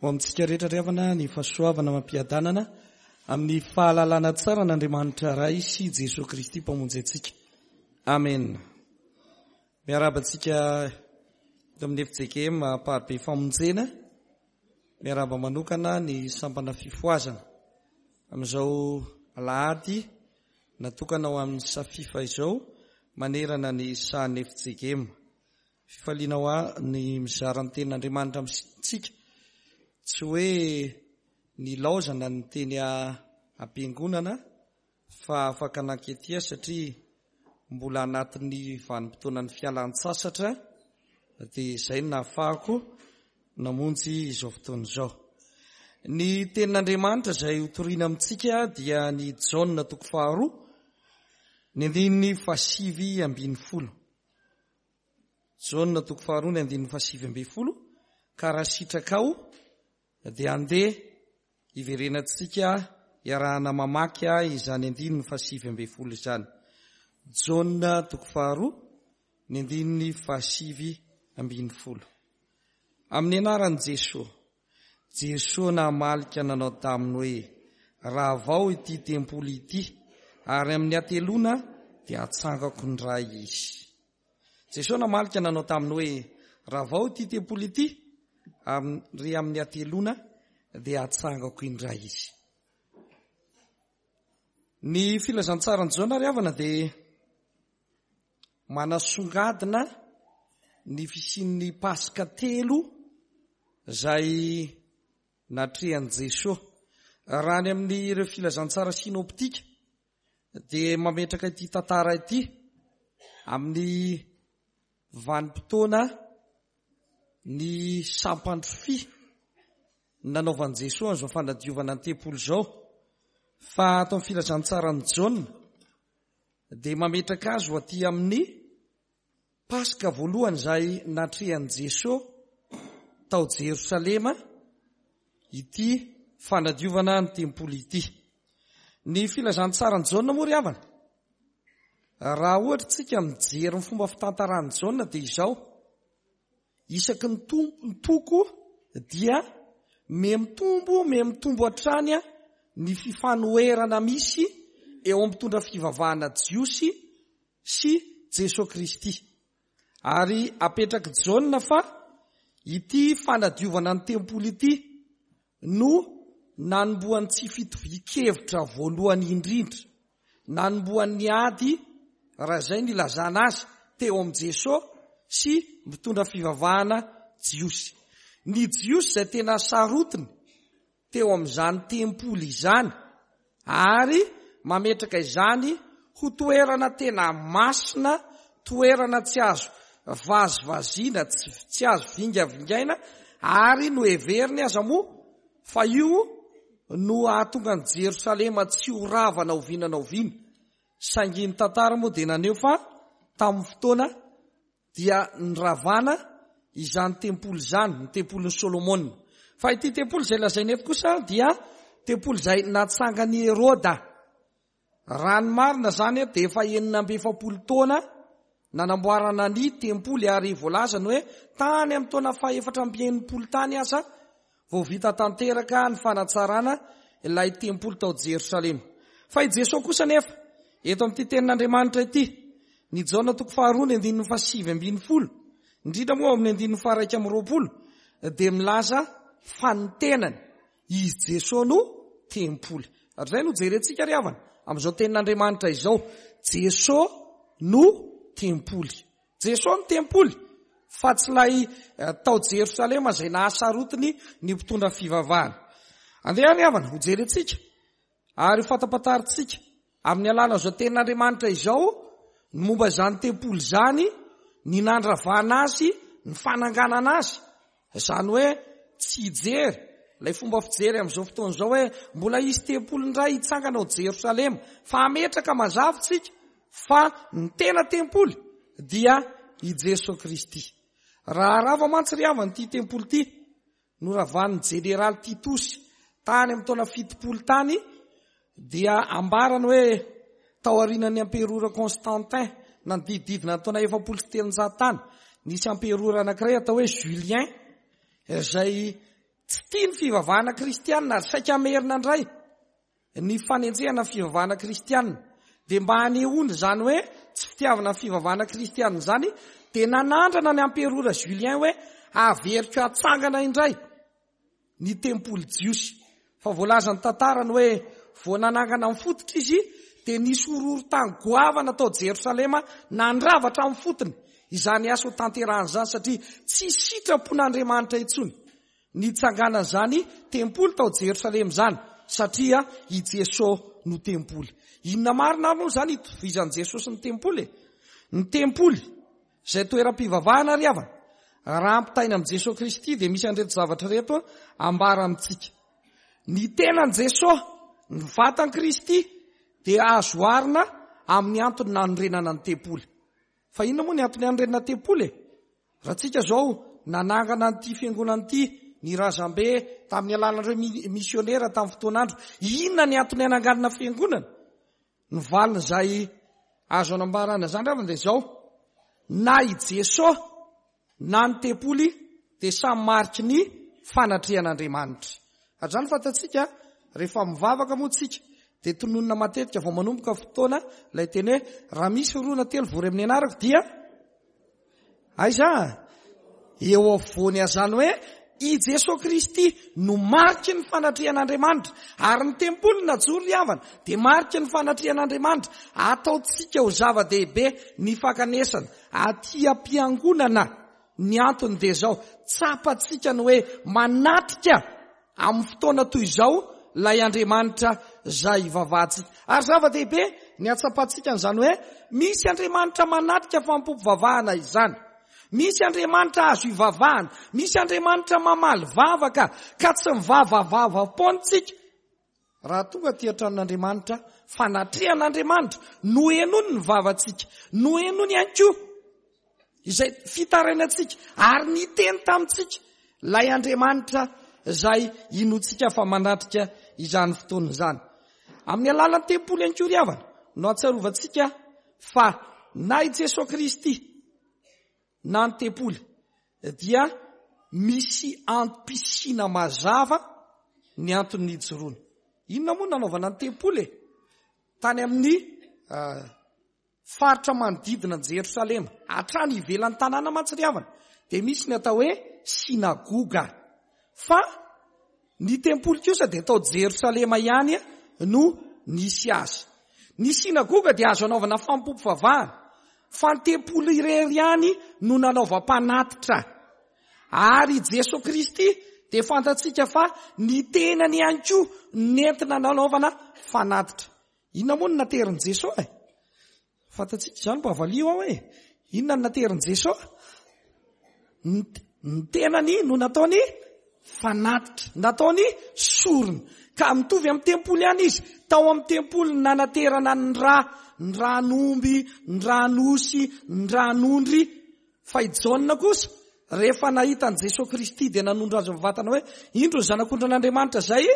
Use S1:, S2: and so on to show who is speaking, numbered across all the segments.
S1: Ho amintsika rehetra ry havana ny fahasoavana amam-piadanana amin'ny fahalalana tsara an'Andriamanitra Ray sy Jesoa Kristy Mpamonjy antsika. Amen. Miarahaba antsika eto amin'ny FJKM Amparibe Famonjena. Miarahaba manokana ny sampana fifohazana amin'izao alahady natokana ho amin'ny Safifa izao manerana ny sahan'ny FJKM. Fifaliana ho ahy ny mizara ny tenin'Andriamanitra amintsika. Tsy hoe nilaozana ny teny am-piangonana fa afaka nanketia satria mbola anatin'ny vanim-potoanan'ny fialan-tsasatra dia izay no nahafahako namonjy izao fotoana izao. Ny tenin'Andriamanitra izay hotorina amintsika dia ny Jaona toko faharoa, ny andininy fahasivy ambin'ny folo. Jaona toko faharoa ny andininy fahasivy ambin'ny folo, Ka raha sitrakao dia andeha hiverenantsika hiarahana mamaky izany andininy fahasivy ambin'ny folo izany. Jaona toko faharoa ny andininy fahasivy ambin'ny folo. Amin'ny anaran'i Jesoa. Jesoa namaly ka nanao taminy hoe, Ravao ity tempoly ity, ary amin'ny hateloana dia hatsangako indray izy. Jesoa namaly ka nanao taminy hoe, Ravao ity tempoly ity, ary amin'ny hateloana dia hatsangako indray izy. Ny filazantsaran'i Jaona ry havana dia manasongadina ny fisian'ny Paska telo izay natrehan'i Jesoa. Raha any amin'ireo filazantsara sinoptika dia mametraka ity tantara ity amin'ny vanim-potoana ny sampandrofia nanaovan'i Jesoa an'izao fanadiovana ny tempoly izao. Fa ato amin'ny filazantsaran'i Jaona dia mametraka azy ho aty amin'ny Paska voalohany izay natrehan'i Jesoa tao Jerosalema ity fanadiovana ny tempoly ity. Ny filazantsaran'i Jaona moa ry havana, raha ohatra tsika mijery ny fomba fitantaran'i Jaona dia izao, Isaky ny toko dia mihamitombo mihamitombo hatrany ny fifanoherana misy eo amin'ny mpitondra fivavahana jiosy sy Jesoa Kristy. Ary apetrak'i Jaona fa ity fanadiovana ny tempoly ity no nanombohan'ny tsy fitovian-kevitra voalohany indrindra, nanombohan'ny ady, raha izay no ilazana azy, teo amin'i Jesoa sy mpitondra fivavahana jiosy. Ny jiosy izay tena sarotiny teo amin'izany tempoly izany ary mametraka izany ho toerana tena masina, toerana tsy azo vazivaziana, tsy azo vingavingaina ary noheveriny aza moa fa io no hahatonga an'i Jerosalema tsy ho rava na oviana na oviana. Saingy ny tantara moa dia naneho fa tamin'ny fotoana dia niravana izany tempoly izany, ny tempolin'i Solomona. Fa ity tempoly izay lazaina eto kosa dia tempoly izay natsangan'i Heroda. Raha ny marina izany dia efa 46 taona nanamboarana ny tempoly ary voalazany hoe tany amin'ny taona fahefatra amby enimpolo tany aza Vao vita tanteraka ny fanatsarana ilay tempoly tao Jerosalema. Fa i Jesoa kosa anefa, eto amin'ity tenin'Andriamanitra ity, ny Jaona toko faharoa ny andininy fahasivy ambin'ny folo, indrindra moa ao amin'ny andininy faha-iraika amby roapolo, dia milaza fa ny tenany, izy Jesoa no tempoly. Ary izay no jerentsika ry havana, amin'izao tenin'Andriamanitra izao, Jesoa no tempoly. Jesoa no tempoly fa tsy ilay tao Jerosalema izay nahasarotiny ny mpitondra fivavahana. Andeha ary havana, ho jerentsika ary ho fantapantarintsika amin'ny alalan'izao tenin'Andriamanitra izao ny momba izany tempoly izany, ny nandravana azy, ny fananganana azy. Izany hoe tsy hijery ilay fomba fijery amin'izao fotoana izao hoe mbola hisy tempoly indray hitsangana ao Jerosalema, fa hametraka mazava isika fa ny tena tempoly dia i Jesoa Kristy. Raha rava mantsy ry havana ity tempoly ity, noravan'ny jeneraly Titosy tany amin'ny taona 70 tany, dia ambarany hoe tao aorianan'ny amperora Constantin nanodidididina ny taona 340 tany, nisy amperora anankiray atao hoe Julien izay. Tsy tia ny fivavahana kristianina ary saika hamerina indray ny fanenjehana ny fivavahana kristianina. Dia mba hanehoana izany hoe tsy fitiavana ny fivavahana kristianina izany dia nanandrana ny amperora Julien hoe averiko hatsangana indray ny tempoly jiosy. Fa voalazan'ny tantara ny hoe vao nanangana ny fototra izy dia nisy horohorontany goavana tao Jerosalema nandrava hatramin'ny fotony izany asa ho tanterahana izany satria tsy sitrapon'Andriamanitra intsony ny hitsanganan'izany tempoly tao Jerosalema izany satria i Jesoa no tempoly. Inona marina ary moa izany itovizan'i Jesoa sy ny tempoly e? Ny tempoly Izay toeram-pivavahana ry havana, raha ampitaina amin'i Jesoa Kristy dia misy an'ireto zavatra ireto ambara amintsika. Ny tenan'i Jesoa, ny vatan'i Kristy dia azo oharina amin'ny antony nanorenana ny tempoly. Fa inona moa ny antony hanorenana tempoly e? Raha tsika izao nanangana an'ity fiangonana ity ny razambe tamin'ny alalan'ireo misionera tamin'ny fotoan'andro, inona ny antony hananganana fiangonana? Ny valiny izay azo anambarana izany ravina dia izao, na i Jesoa na ny tempoly dia samy mariky ny fanatrehan'Andriamanitra. Ary izany fantatsika, rehefa mivavaka moa tsika dia tononina matetika vao manomboka fotoana ilay teny hoe raha misy roa na telo vory amin'ny anarako dia Aiza? Eo afovoany azany hoe i Jesoa Kristy no mariky ny fanatrehan'Andriamanitra. Ary ny tempoly najoro ry havana dia mariky ny fanatrehan'Andriamanitra. Ataontsika ho zava-dehibe ny fankanesana aty am-piangonana. Ny antony dia izao, tsapantsika ny hoe manatrika Amin'ny fotoana toy izao, ilay Andriamanitra izay ivavahantsika. Ary zava-dehibe ny hatsapantsika an'izany hoe misy Andriamanitra manatrika fanompoam-pivavahana izany. Misy Andriamanitra azo ivavahana. Misy Andriamanitra mamaly vavaka ka tsy mivavavava-poana isika. Raha tonga aty an-tranon'Andriamanitra, fanatrehan'Andriamanitra, nohenoiny ny vavantsika, nohenoiny ihany koa izay fitarainantsika, ary niteny tamintsika ilay Andriamanitra izay inoantsika fa manatrika izany fotoana izany. Amin'ny alalan'ny tempoly ihany koa ry havana no ahatsiarovantsika fa na i Jesoa Kristy na ny tempoly dia misy antom-pisiana mazava ny antony nijoroana. Inona moa nanaovana ny tempoly e? Tany amin'ny ah, faritra manodidina an'i Jerosalema, hatrany ivelan'ny tanàna mantsy ry havana, dia misy ny atao hoe synagoga. Fa Ny tempoly kosa dia tao Jerosalema ihany no nisy azy. Ny synagoga dia azo anaovana fanompoam-pivavahana, fa ny tempoly irery ihany no nanaovam-panatitra. Ary i Jesoa Kristy dia fantatsika fa ny tenany ihany koa nentina nanaovana fanatitra. Inona moa no naterin'i Jesoa e? Fantatsika izany, mba valio aho e! Inona no naterin'i Jesoa? Ny tenany no nataony fanatitra, nataony sorona. Ka mitovy amin'ny tempoly ihany izy. Tao amin'ny tempoly ny nanaterana ny ra, ny ran'omby, ny ran'osy, ny ran'ondry. Fa i Jaona kosa, rehefa nahita an'i Jesoa Kristy dia nanondro azy mivantana hoe, Indro ny Zanak'ondrin'Andriamanitra izay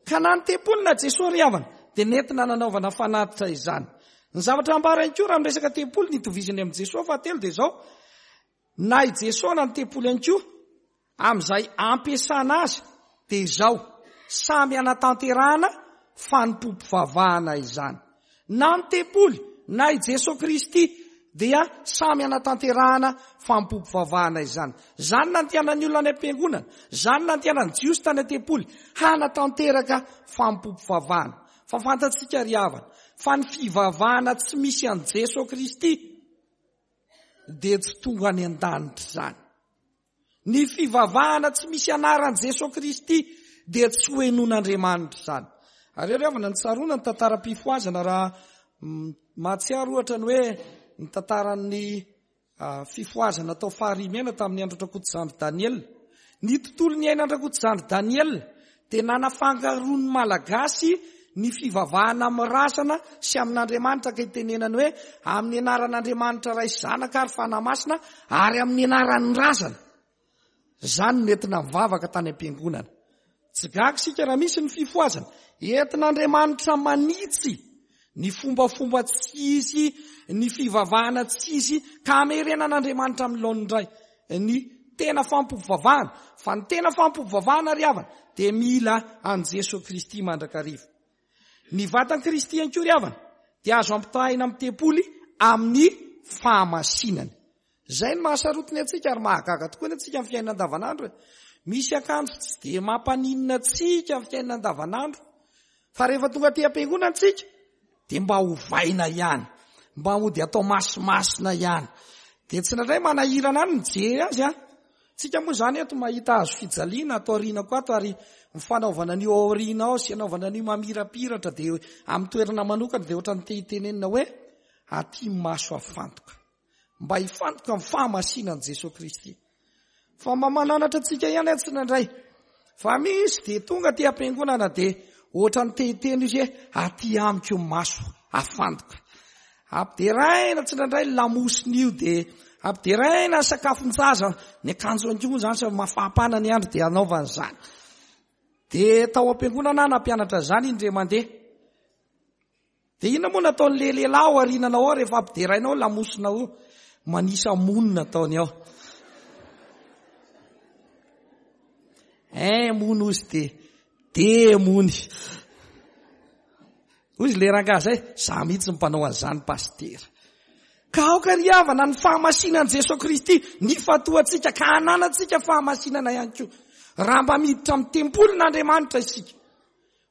S1: Ka na ny tempoly na Jesoa ry havana dia nentina nanaovana fanatitra izany. Ny zavatra ambara ihany koa raha miresaka tempoly ny itovizany amin'i Jesoa fahatelo dia izao, na i Jesoa na ny tempoly ihany koa amin'izay ampiasana azy dia izao, samy hanatanterahana fanompoam-pivavahana izany. Na ny tempoly na i Jesoa Kristy dia samy hanatanterahana fanompoam-pivavahana izany. Izany nandehanan'ny olona any am-piangonana, izany nandehanan'ny Jiosy tany an-tempoly, hanatanteraka fanompoam-pivavahana. Fa fantatsika ry havana, fa ny fivavahana tsy misy an'i Jesoa Kristy dia tsy tonga any an-danitra izany. Ny fivavahana tsy misy anaran'i Jesoa Kristy dia tsy ho henoin'Andriamanitra izany. Ary ry havana, ny tsaroana ny tantaram-pifohazana raha mahatsiaro ohatra ny hoe ny tantaran'ny fifohazana tao Farimena tamin'ny andron-dRakotozandry Daniel. Ny tontolo niainan-dRakotozandry Daniel dia nanafangaroan'ny Malagasy ny fivavahana amin'ny razana sy amin'Andriamanitra ka itenenany hoe amin'ny anaran'Andriamanitra Ray sy Zanaka ary Fanahy Masina ary amin'ny anaran'ny razana. Izany no nentina nivavaka tany am-piangonana. Tsy gaga isika raha misy ny fifohazana. Entin'Andriamanitra manitsy ny fombafomba tsy izy, ny fivavahana tsy izy ka hamerenan'Andriamanitra amin'ny laoniny indray ny. tena fampivavahana. Fa ny tena fampivavahana ry havana dia mila an'i Jesoa Kristy mandrakariva. Ny vatan'i Kristy ihany koa ry havana dia azo ampitahaina amin'ny tempoly amin'ny fahamasinany. Izay no mahasarotiny antsika ary mahagaga tokoa ny antsika amin'ny fiainana andavanandro e. Misy akanjo tsy dia mampaninona antsika amin'ny fiainana andavanandro. Fa rehefa tonga aty am-piangonana antsika dia mba ovaina ihany. Mba mody atao masimasina ihany. Dia tsy indraindray manahirana any mijery azy an. Tsika moa izany eto mahita hazo fijaliana ato aorianako ato ary ny fanaovana an'io ao aoriana ao sy anaovana an'io mamirapiratra dia amin'ny toerana manokana dia ohatran'ny te hitenenina hoe aty maso afantoka. Mba hifantoka amin'ny fahamasinan'i Jesoa Kristy. Fa mba mananatra antsika ihany aho tsindraindray. Fa misy dia tonga aty am-piangonana dia ohatran'ny te hiteny izy hoe aty amiko ny maso afantoka. Ampideraina tsindraindray ny lamosina io dia ampideraina ny sakafon-jaza, ny akanjo ihany koa moa izany samy mafampana ny andro dia anaovana izany. Dia tao am-piangonana aho nampianatra izany indray mandeha. Dia inona moa nataon'ilay lehilahy ao aoriananao ao rehefa ampiderainao lamosina ao? Manisa mony nataony ao. Un mony ozy dia deux mony. Hoy izy le rangahy zay, za mihitsy ny mpanao an'izany pasitera. Ka aoka ry havana ny fahamasinan'i Jesoa Kristy nifantohantsika ka hananantsika fahamasinana ihany koa. Raha mba miditra amin'ny tempolin'Andriamanitra isika.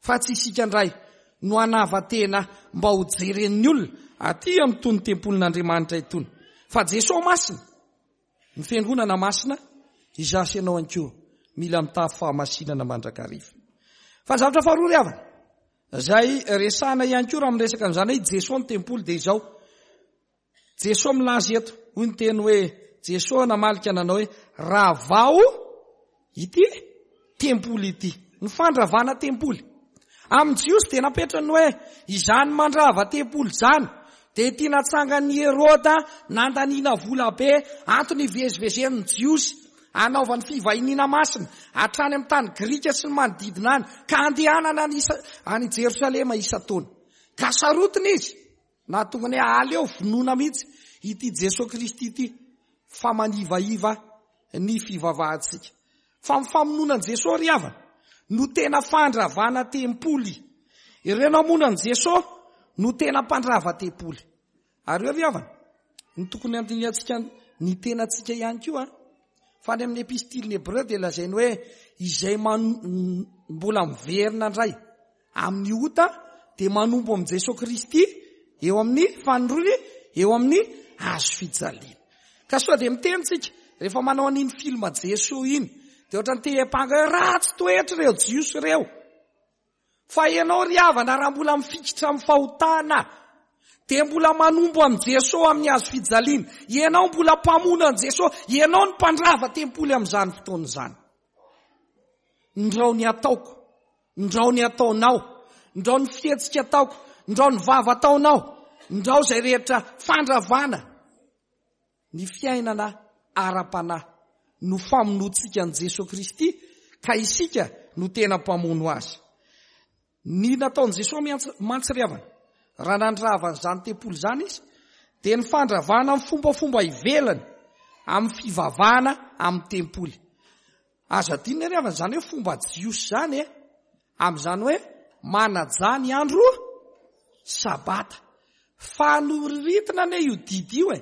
S1: Fa tsy isika indray no hanava-tena mba ho jeren'ny olona aty amin'itony tempolin'Andriamanitra itony. Fa Jesoa Masina, ny Fiangonana Masina, izaho sy ianao ihany koa mila mitafy fahamasinana mandrakariva. Fa ny zavatra faharoa ry havana, izay resahana ihany koa raha miresaka an'izany hoe i Jesoa ny tempoly dia izao, Jesoa milaza eto, hoy ny teny hoe, Jesoa namalika nanao hoe, ravao ity tempoly ity. Ny fandravana tempoly. Amin'ny Jiosy dia napetrany hoe, izany mandrava tempoly izany dia ity natsangan'i Heroda nandaniana vola be, antony hivezivezen'ny Jiosy hanaovany fivahiniana masina hatrany amin'ny tany Grika sy ny manodidina any, ka handehanana any Jerosalema isan-taona. Ka sarotiny izy. Nahatonga ny hoe aleo vonoina mihitsy ity Jesoa Kristy ity fa manivaiva ny fivavahantsika. Fa ny famonoana an'i Jesoa ry havana no tena fandravana tempoly. Ireo namono an'i Jesoa no tena mpandrava tempoly. Ary eo ry havana, ny tokony handinihantsika ny tenantsika ihany koa, fa any amin'ny epistilin'ny Hebreo dia lazainy hoe izay mbola miverina indray Amin'ny ota dia manompo amin'i Jesoa Kristy eo amin'ny fanindroany eo amin'ny hazo fijaliana. Ka soa dia miteny tsika rehefa manao an'iny film Jesoa iny dia ohatran'ny te hiampanga hoe ratsy toetra ireo Jiosy ireo. Fa ianao ry havana raha mbola mifikitra amin'ny fahotana dia mbola manompo amin'i Jesoa amin'ny hazo fijaliana. Ianao mbola mpamono an'i Jesoa, ianao ny mpandrava tempoly amin'izany fotoana izany. Ndrao ny ataoko, ndrao ny ataonao, ndrao ny fihetsika ataoko, ndrao ny vava ataonao, ndrao izay rehetra fandravana ny fiainana ara-panahy no famonoantsika an'i Jesoa Kristy ka isika no tena mpamono azy. Ny nataon'i Jesoa mantsy ry havana, raha nandrava an'izany tempoly izany izy, dia ny fandravana ny fombafomba ivelany amin'ny fivavahana amin'ny tempoly. Aza adinona ry havana izany hoe fomba jiosy izany e, amin'izany hoe manaja ny andro sabata. Fa noriritina anie io didy io e.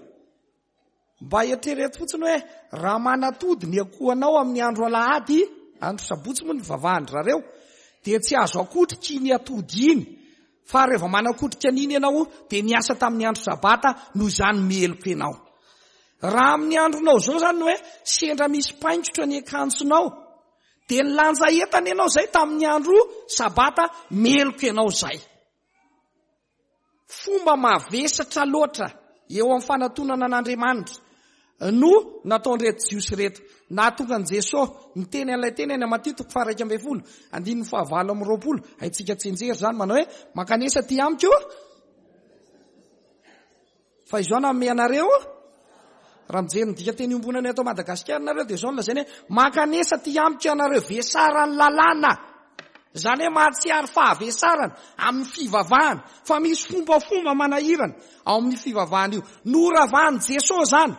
S1: Mba eritrereto fotsiny hoe raha manatody ny akohanao amin'ny andro alahady, andro sabotsy moa ny vavahan-dry zareo, dia tsy azo akotrika iny atody iny. Fa rehefa manakotrika an'iny ianao dia niasa tamin'ny andro sabata, noho izany meloka ianao. Raha amin'ny andronao izao izany hoe sendra misy paingotra ny akanjonao, dia nilanja entana ianao izay tamin'ny andro sabata, meloka ianao izay. Fomba mavesatra loatra eo amin'ny fanatonana an'Andriamanitra no nataon'ireto Jiosy ireto. Nahatonga an'i Jesoa niteny an'ilay teny any Matio toko faha-11, andininy faha-28. Haintsika tsianjery izany manao hoe, Mankanesa aty amiko, Fa izao nanome anareo, raha mijery ny dikanteny iombonana eto Madagasikara nareo dia izao no lazainy hoe mankanesa aty amiko ianareo vesaran'ny lalàna. Izany hoe mahatsiaro fahavesarana amin'ny fivavahana fa misy fombafomba manahirana ao amin'ny fivavahana io. Noravan'i Jesoa izany.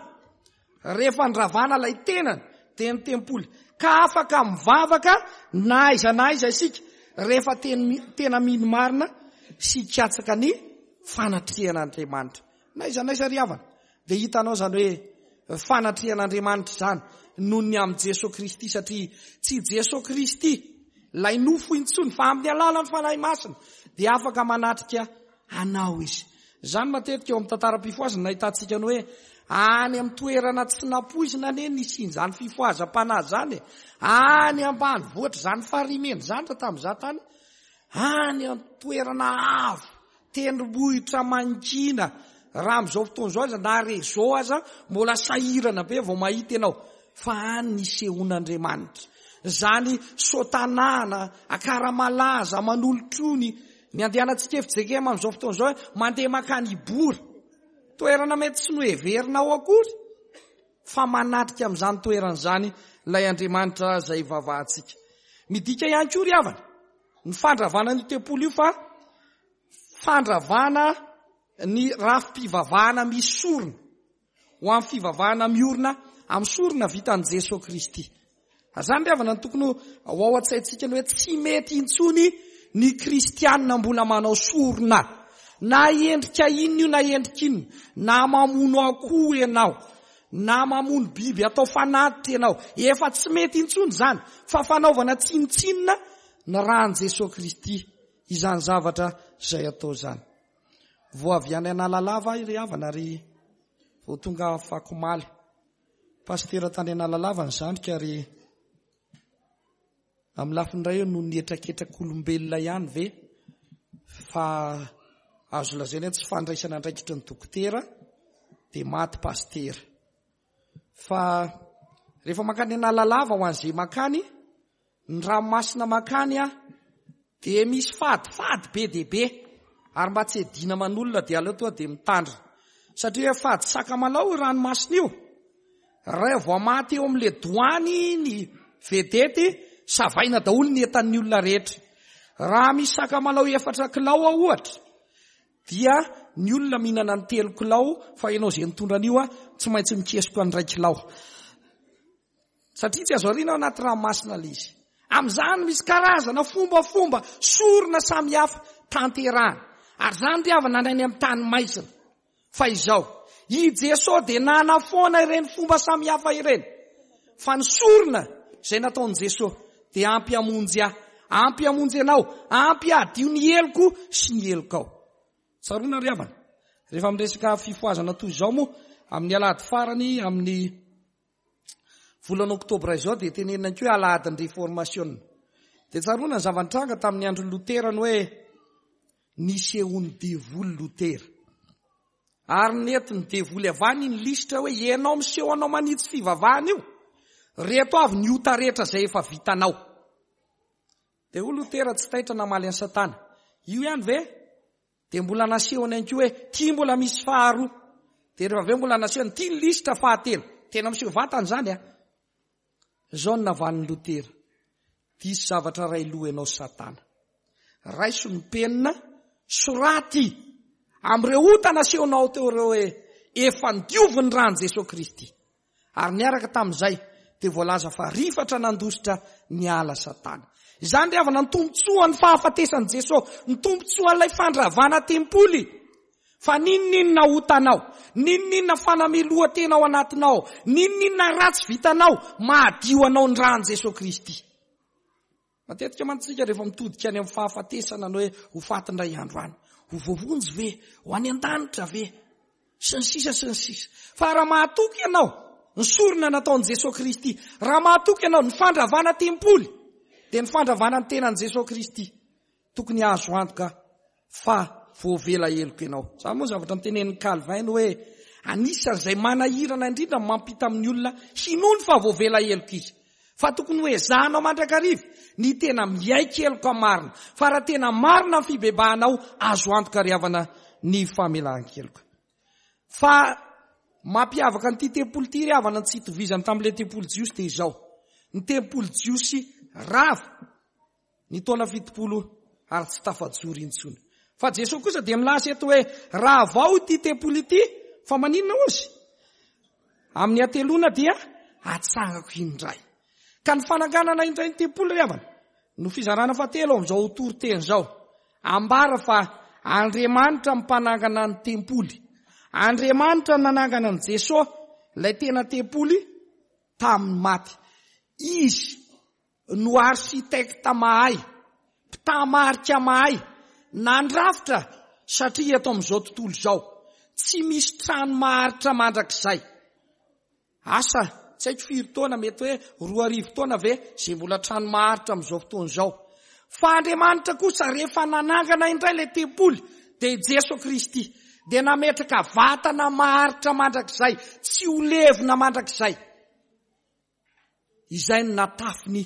S1: Rehefa nravana ilay tenany dia ny tempoly. Ka afaka mivavaka na aiza na aiza isika rehefa tena mino marina sy hikatsaka ny fanatrehan'Andriamanitra. Na aiza na aiza ry havana dia hitanao izany hoe fanatrehan'Andriamanitra izany noho ny amin'i Jesoa Kristy satria tsy Jesoa Kristy ilay nofo intsony fa amin'ny alalan'ny Fanahy Masina dia afaka manatrika anao izy. Izany matetika eo amin'ny tantaram-pifohazana no ahitantsika ny hoe any amin'ny toerana tsy nampoizina anie nisian'izany fifohazam-panahy izany e. Any ambanivohitra izany Farimena izany raha tamin'izaho tany, any an-toerana avo, tendrombohitra mangina, raha amin'izao fotoana izao aza na réseau aza mbola sahirana be vao mahita ianao fa any nisehoan'Andriamanitra. Izany sotanana, akaramalaza, manolotrony, Ny andehanantsika FJKM amin'izao fotoana izao mandeha mankany Ibory. Toerana mety tsy noheverinao akory fa manatrika amin'izany toerana izany ilay Andriamanitra izay ivavahantsika. Midika ihany koa ry havana ny fandravana an'io tempoly io fa fandravana ny rafi-pivavahana misy sorona. ho amin'ny fivavahana miorina amin'ny sorona vitan'i Jesoa Kristy. Ary izany ry havana no tokony ho ao an-tsaintsika ny hoe tsy mety intsony ny kristianina mbola manao sorona. Na endrika inona io na endrika inona, na mamono akoho ianao, na mamono biby atao fanatitra ianao, efa tsy mety intsony izany fa fanaovana tsinontsinona ny ran'i Jesoa Kristy izany zavatra izay atao izany. Vao avy any Analalava aho ry havana ary vao tonga afakomaly. Pasitera tany Analalava ny zandriko ary amin'ny lafiny iray eo noho ny hetraketrak'olombelona ihany ve fa azo lazaina hoe tsy fandraisana andraikitry ny dokotera dia maty pasitera. Fa rehefa mankany Analalava ho an'izay mankany Ny ranomasina mankany an, dia misy fadifady be dia be, ary mba tsy hiadiana aman'olona dia aleo tonga dia mitandrina. Satria hoe fady sakamalao io ranomasina io. Raha vao maty eo amin'ilay doany ny vedety, savaina daholo ny entan'ny olona rehetra. Raha misy sakamalao efatra kilao ao ohatra, dia ny olona mihinana ny telo kilao, fa ianao izay nitondra an'io an, tsy maintsy mikesoka ny iray kilao. Satria tsy azo ariana ao anaty ranomasina ilay izy. Amin'izany misy karazana fombafomba sorona samihafa tanterahana. Ary izany ry havana any amin'ny tany maizina. Fa izao, i Jesoa dia nanafoana ireny fomba samihafa ireny. Fa ny sorona izay nataon'i Jesoa dia ampy hamonjy ahy, ampy hamonjy anao, ampy hadio ny heloko sy ny helokao. Tsaroana ry havana, rehefa miresaka fifohazana toy izao moa, amin'ny alahady farany amin'ny Volana oktobra izao dia tenenina ihany koa hoe alahadin'ny reformasiona. Dia tsaroana ny zava-nitranga tamin'ny andron'i Lotera ny hoe nisehoan'ny devoly Lotera. Ary nentin'ny devoly avy any ny lisitra hoe ianao miseho anao manitsy fivavahana io. Reto avy ny ota rehetra izay efa vitanao. Dia hoy Lotera tsy taitra namaly an'i Satana. Io ihany ve? Dia mbola nasehony ihany koa hoe ity mbola misy faharoa. Dia rehefa avy eo mbola nasehony ity ny lisitra fahatelo. Tena miseho vatana izany a. Izao no navalin'i Lotera. Diso zavatra iray loha ianao Satana. Raiso ny penina, soraty amin'ireo ota nasehonao teo ireo hoe efa nodiovin'ny ran'i Jesoa Kristy. Ary niaraka tamin'izay dia voalaza fa rifatra nandositra niala Satana. Izany ry havana ny tombontsoan'ny fahafatesan'i Jesosy, ny tombontsoan'ilay fandravana tempoly. Fa n'inon'inona otanao, n'inon'inona fanamelohan-tena ao anatinao, n'inon'inona ratsy vitanao, mahadio anao ny ran'i Jesosy Kristy. Matetika mantsy isika rehefa mitodika any amin'ny fahafatesana ny hoe ho faty indray andro any. Ho voavonjy ve? Ho any an-danitra ve? Sy ny sisa sy ny sisa. Fa raha mahatoky ianao ny sorona nataon'i Jesoa Kristy, raha mahatoky ianao ny fandravana tempoly, dia ny fandravana ny tenan'i Jesoa Kristy. Tokony hahazo antoka fa voavela heloka ianao. Izany moa zavatra notenenin'i Calvin hoe anisan'izay manahirana indrindra ny mampita amin'ny olona hinoany fa voavela heloka izy. Fa tokony ho ezahanao mandrakariva ny tena miaiky heloka marina. Fa raha tena marina ny fibebahanao, azo antoka ry havana ny famelan-keloka. Fa mampiavaka an'ity tempoly ity ry havana ny tsy itovizany tamin'ilay tempoly jiosy dia izao. Ny tempoly jiosy rava. Ny taona 70 ary tsy tafajoro intsony. Fa Jesoa kosa dia milaza eto hoe raha vao ity tempoly ity, fa maninona hozy? Amin'ny hateloana dia Atsangako indray. Ka ny fananganana indray ny tempoly ry havana no fizarana fahatelo amin'izao toriteny izao. Ambara fa Andriamanitra mpanangana ny tempoly. Andriamanitra nanangana an'i Jesoa, ilay tena tempoly, tamin'ny maty. Izy no architecte mahay, mpitamarika mahay, nandrafitra satria eto amin'izao tontolo izao tsy misy trano maharitra mandrakizay. Asa, tsy haiko firy taona, mety hoe 2000 taona ve izay mbola trano maharitra amin'izao fotoana izao. Fa Andriamanitra kosa rehefa nanangana indray ilay tempoly dia i Jeso Kristy dia nametraka vatana maharitra mandrakizay, tsy ho levona mandrakizay. Izay no natafiny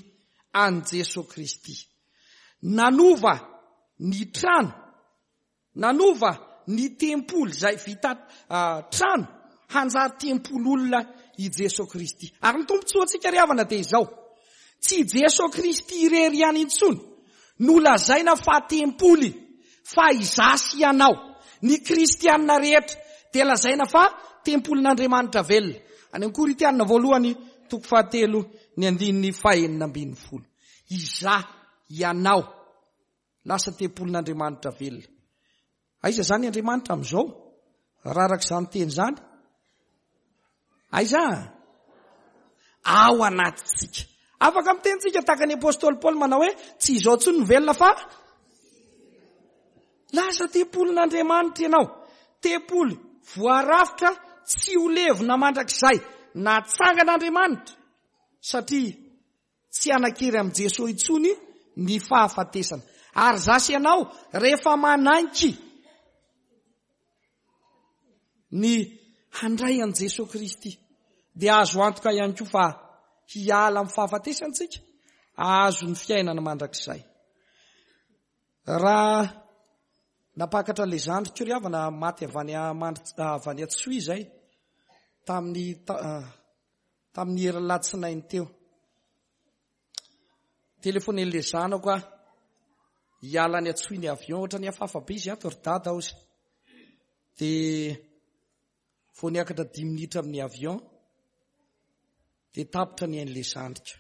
S1: an'i Jeso Kristy. Nanova ny trano, nanova ny tempoly izay vita trano hanjary tempoly olona i Jeso Kristy. Ary ny tombontsoantsika ry havana dia izao, tsy i Jeso Kristy irery ihany intsony no lazaina fa tempoly fa izaho sy ianao, ny kristiana rehetra dia lazaina fa tempolin'Andriamanitra velona. Any amin'ny Korintiana voalohany toko fahatelo ny andininy fahenina ambin'ny folo. Izaho, ianao, lasa tempolin'Andriamanitra velona. Aiza izany Andriamanitra amin'izao? Raha araka izany teny izany? Aiza? Ao anatintsika. Afaka miteny tsika tahaka ny apostoly Paoly manao hoe tsy izao intsony no velona fa lasa tempolin'Andriamanitra ianao. Tempoly voarafitra tsy ho levona mandrakizay. Natsangan'Andriamanitra satria Tsy hanan-kery amin'i Jesoa intsony ny fahafatesana. Ary za sy ianao rehefa manaiky ny handray an'i Jesoa Kristy dia azo antoka ihany koa fa hiala amin'ny fahafatesana isika, hahazo ny fiainana mandrakizay. Raha nampakatra ilay zandriko ry havana maty avy any avy any Antsohihy izay tamin'ny Tamin'ny herin'ny alatsinainy teo. Telefonen'ilay zanako aho. Hiala any Antsohihy ny avion, ohatran'ny hafahafa be izy ato ry dada hozy. Dia vao niakatra dimy minitra amin'ny avion, dia tapitra ny ain'ilay zandriko.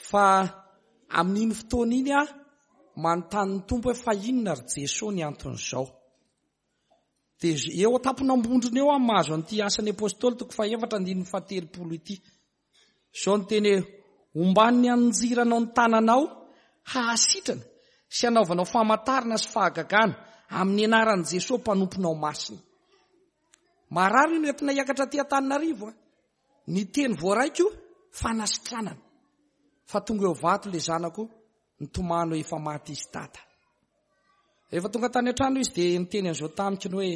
S1: Fa amin'iny fotoana iny aho manontany ny Tompo hoe fa inona ry Jesoa ny anton'izao? Dia eo an-tampon'Ambondrona eo aho mahazo an'ity Asan'ny Apostoly toko fahefatra andininy fahatelopolo ity. Izao ny teny hoe, Omban'ny anjiranao ny tananao hahasitrana sy hanaovanao famantarana sy fahagagana amin'ny anaran'i Jesoa mpanomponao masina. Marary io no entina hiakatra aty Antananarivo a. Ny teny voaraiko fanasitranana. Fa tonga eo vato le zanako nitomany hoe efa maty izy dada. Rehefa tonga tany an-trano izy dia niteny an'izao tamiko ny hoe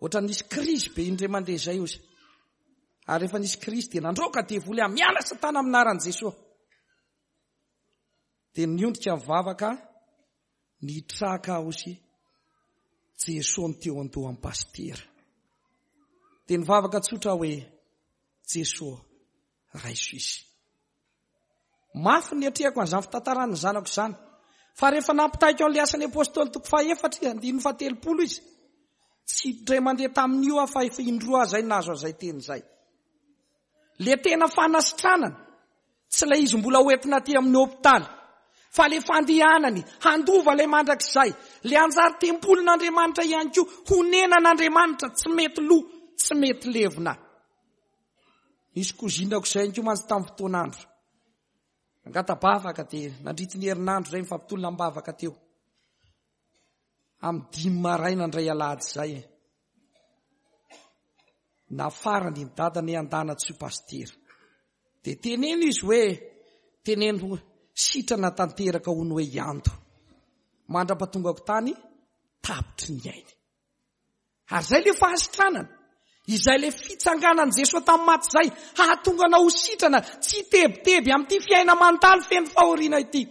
S1: ohatran'ny nisy krizy be indray mandeha izay ozy. Ary rehefa nisy krizy dia nandroaka devoly aho, miala satana amin'ny anaran'i Jesoa. Dia niondrika nivavaka, nitraka aho ozy Jesoa ny teo an-dohan'ny pasitera. Dia nivavaka tsotra aho hoe Jesoa raiso izy. Mafy ny niatrehako an'izany fitantarana ny zanako izany. Fa rehefa nampitaiko an'ilay asan'ny apostoly toko fahaefatra, andininy fahatelopolo izy, tsy indray mandeha tamin'io aho fa efa indroa aho izay nahazo an'izay teny izay. Le tena fanasitranana, tsy ilay izy mbola hoentina aty amin'ny hopitaly, fa le fandehanany handova ilay mandrakizay, le hanjary tempolin'Andriamanitra ihany koa, honenan'Andriamanitra, tsy mety lo, tsy mety levona. Nisy cousine-ko izay ihany koa mantsy tamin'ny fotoan'andro. Nangata-bavaka dia nandritra ny herinandro izay nifampitolona am-bavaka teo. Amin'ny dimy maraina indray alahady izay. Nafarany ny dadany handana tsy ho pasitera. Dia teneno izy hoe teneno sitrana tanteraka hono hoe hianto. Mandra-patongako tany tapitry ny ainy. Ary izay ilay fahasitranana, izay ilay fitsanganan'i Jesoa tamin'ny maty izay, hahatonga anao ho sitrana, tsy hitebiteby amin'ity fiaina mandalo feno fahoriana ity.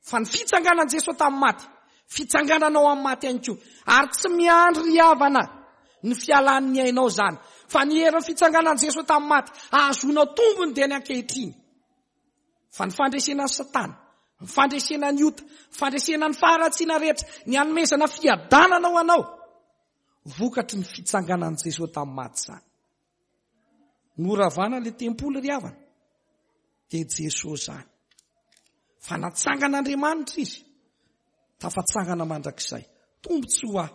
S1: Fa ny fitsanganan'i Jesoa tamin'ny maty, fitsangananao amin'ny maty ihany koa. Ary tsy miandry ry havana ny fialan'ny ainao izany, fa ny herin'ny fitsanganan'i Jesoa tamin'ny maty, hahazoanao tombony dia ny ankehitriny. Fa ny fandresena an'i Satana, ny fandresena ny ota, ny fandresena ny faharatsiana rehetra, ny hanomezana fiadanana ho anao, vokatry ny fitsanganan'i Jesoa tamin'ny maty izany. Noravana ilay tempoly ry havana. Dia Jesoa izany. Fa natsangan'Andriamanitra izy. Tafatsangana mandrakizay. Tombontsoa ahy,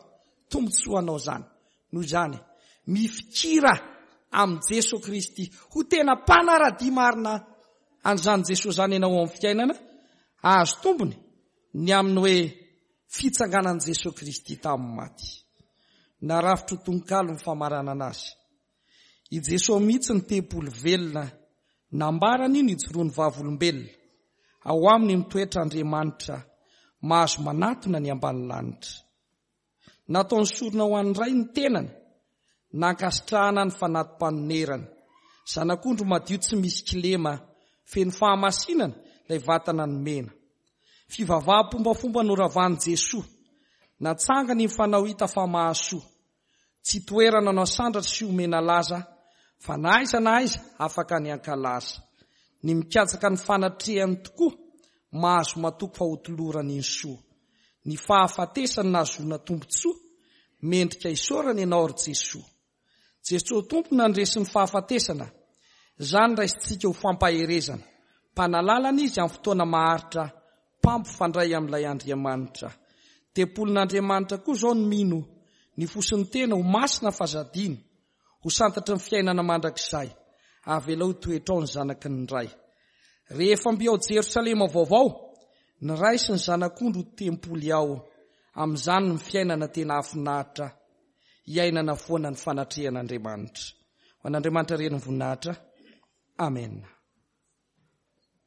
S1: tombontsoa anao izany. Noho izany, mifikira amin'i Jesoa Kristy ho tena mpanara-dia marina an'izany Jesoa izany ianao ao amin'ny fiainana, hahazo tombony ny amin'ny hoe fitsanganan'i Jesoa Kristy tamin'ny maty. Narafitro tononkalo ny famaranana azy. I Jesoa mihitsy ny tempoly velona, nambarany ny hijoroan'ny vavolombelona. Ao aminy mitoetra Andriamanitra, mahazo manatona ny ambany lanitra. Nataony sorona ho an'ny Ray ny tenany, nankasitrahana ny fanati-panonerany. Zanak'ondry madio tsy misy kilema, feno fahamasinana ilay vatana nomena. Fivavaham-pombafomba noravan'i Jesoa, natsangany ny fanao hita fa mahasoa. Tsy toerana no asandratra sy omena laza fa na aiza na aiza afaka ny hankalaza. Ny mikatsaka ny fanatrehany tokoa mahazo matoky fa hotolorany ny soa. Ny fahafatesany nahazoana tombontsoa, mendrika isaorana ianao ry Jesoa. Jesoa Tompo nandresy ny fahafatesana, izany raisintsika ho fampaherezana. Mpanalalana Izy amin'ny fotoana maharitra Mpampifandray amin'ilay Andriamanitra. Tempolin'Andriamanitra koa izao ny mino, ny fo sy ny tena ho masina f'aza adino, ho santatry ny fiainana mandrakizay. Avelao hitoetra ao ny zanaky ny Ray. Rehefa mby ao Jerosalema vaovao, ny Ray sy ny Zanak'ondry ho tempoly ao. Amin'izany ny fiainana tena hahafinaritra, hiainana foana ny fanatrehan'Andriamanitra. Ho an'Andriamanitra Reny ny voninahitra. Amena.